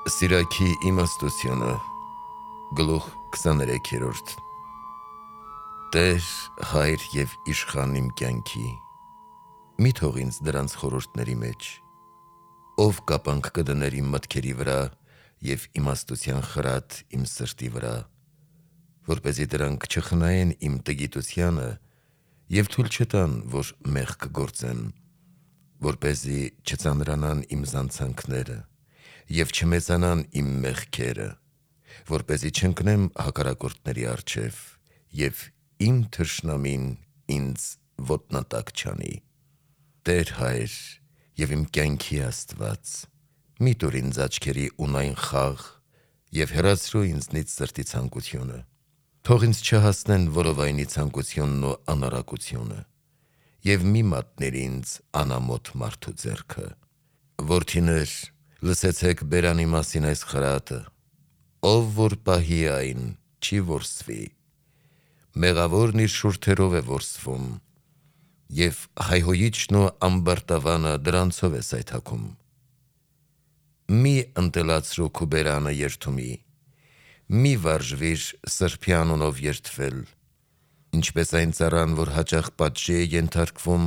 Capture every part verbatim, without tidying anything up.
Սիրակի իմաստությունը գլուխ քսաներեքերորդ Տեր, հայր և իշխան իմ կյանքի, մի թող ինձ դրանց խորհուրդների մեջ, ով կապանք կդներ իմ մտքերի վրա և իմաստության խրատ իմ սրտի վրա, որպեսզի դրանք չխնայեն իմ տգիտությանը և թույլ չտան, որ մեղք գործեմ, որպեսզի չծանրանան իմ զանցանքները և չմեծանան իմ մեղքերը, որպեսզի չընկնեմ հակառակորդների առջև և իմ թշնամին ինձ ոտնատակ չանի: Տեր հայր և իմ կյանքի Աստված, մի տուր ինձ աչքերի ունայն խաղ և հեռացրու ինձնից սրտի ցանկությունը: Թող ինձ չհասնեն որովայնի ցանկությունն ու անառակությունը և մի մատնիր ինձ անամոթ մարդու ձեռքը: Որդիներ, լսեցեք բերանի մասին այս խրատը, ով որ պահի այն, չի որսվի: Մեղավորն իր շուրթերով է որսվում և հայհոյիչն ու ամբարտավանը դրանցով է սայթաքում: Մի ընտելացրու քու բերանը երդումի, մի վարժվիր սրբի անունով երդվել: Ինչպես այն ծառան, որ հաճախ պատժի է ենթարկվում,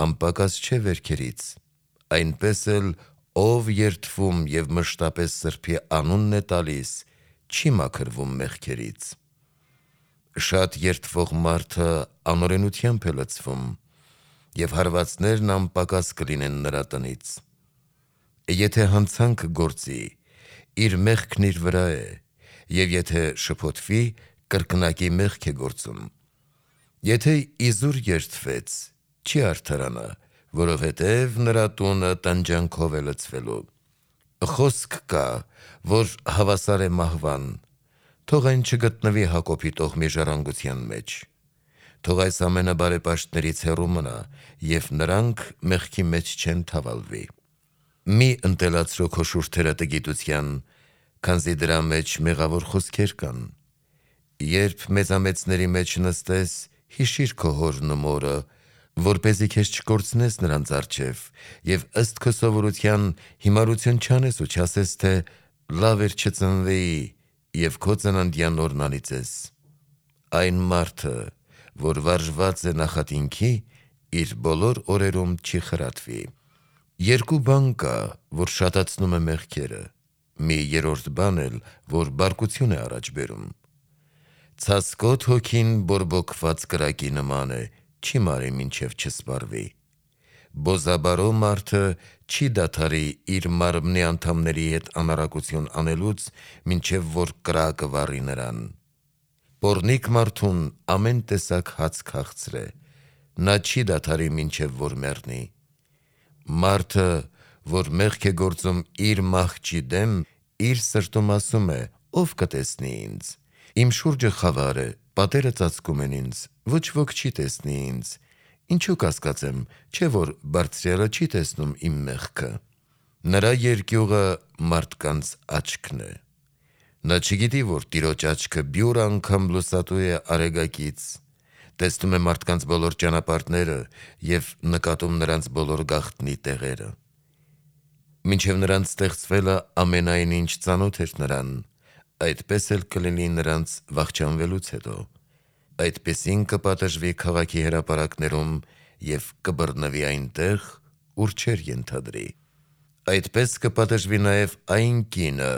անպակաս չէ վերքերից, այնպես էլ ով երդվում և մշտապես սրբի անունն է տալիս, չի մաքրվում մեղքերից: Շատ երդվող մարդը անօրենությամբ է լցվում և հարվածներն անպակաս կլինեն նրա տնից: Եթե հանցանք գործի, իր մեղքն իր վրա է և եթե շփոթվի, կրկնակի մեղք է գործում: Եթե իզուր երդվեց, չի արդարանա, որովհետև նրա տունը տանջանքով է լցվելու: Խոսք կա, որ հավասար է մահվան, թող այն չգտնվի Հակոբի տոհմի ժառանգության մեջ: Թող այս ամենը բարեպաշտներից հեռու մնա և նրանք մեղքի մեջ չեն թավալվի: Մի ընտելացրու քո շուրթերը տգիտության, քանզի դրա մեջ մեղավոր խոսքեր կան: Երբ մեծամեծների մեջ նստես, հիշիր քո հորն ու մորը, որպեսզի քեզ չկորցնես նրանց առջև և ըստ քո սովորության հիմարություն չանես ու չասես, թե լավ էր չծնվեի և քո ծննդյան օրն անիծես: Այն մարդը, որ վարժված է նախատինքի, իր բոլոր օրերում չի խրատվի: Երկու բան կա, որ շատացնում է մեղքերը, մի երրորդ բան էլ, որ բարկություն է առաջ բերում: Ցասկոտ հոգին բորբոքված կրակի նման է, չի մարի մինչև չսպառվի: Բոզաբարո մարդը չի դադարի իր մարմնի անդամների հետ անառակություն անելուց, մինչև որ կրակը վառի նրան: Պոռնիկ մարդուն ամեն տեսակ հաց քաղցր է, նա չի դադարի մինչև որ մեռնի: Մարդը, որ մեղք է գործում իր մահճի դեմ, իր սրտում ասում է. ով կտեսնի ինձ: Իմ շուրջը խավար է, պատերը ծածկում են ինձ, ոչ ոք չի տեսնի ինձ: Ինչու կասկածեմ, չէ որ բարձրյալը չի տեսնում իմ մեղքը: Նրա երկյուղը մարդկանց աչքն է: Նա չգիտի, որ Տիրոջ աչքը բյուր անգամ լուսատու է արեգակից, տեսնում է մարդկանց բոլոր ճանապարհները և նկատում նրանց բոլոր գաղտնի տեղերը: Մինչև նրանց ստեղծվելը ամենայն ինչ ծանոթ էր նրան, այդպես էլ կլինի նրանց վախճանվելուց հետո: Այդպիսին կպատժվի քաղաքի հրապարակներում և կբռնվի այնտեղ, ուր չէր ենթադրի: Այդպես կպատժվի նաև այն կինը,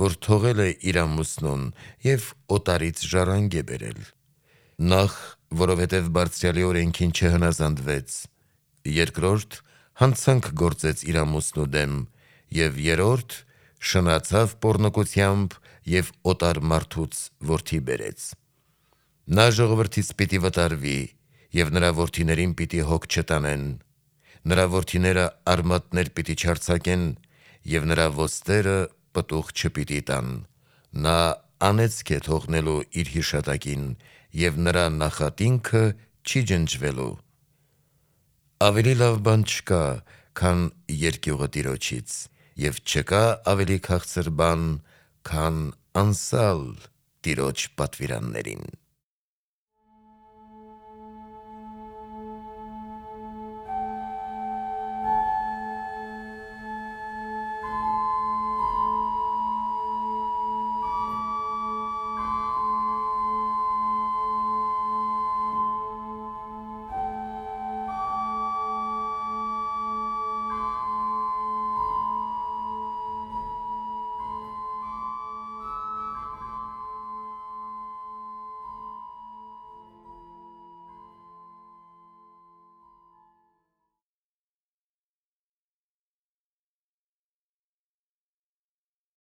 որ թողել է իր ամուսնուն և օտարից ժառանգ է բերել: Նախ, որովհետև Բարձրյալի օրենքին չհնազանդվեց, երկրորդ, հանցանք գործեց իր ամուսնու դեմ և երրորդ, շնացավ պոռնկությամբ և օտար մարդուց որդի բերեց: Նա ժողովրդից պիտի վտարվի և նրա որդիներին պիտի հոգ չտանեն: Նրա որդիները արմատներ պիտի չարձակեն և նրա ոստերը պտուղ չպիտի տան: Նա անեծք է թողնելու իր հիշատակին և նրա նախատինքը չի ջնջվելու: Ավելի լավ բան չկա, քան երկյուղը Տիրոջից և չկա ավելի քաղցր բան, քան անսալ Տիրոջ պատվիրաններին: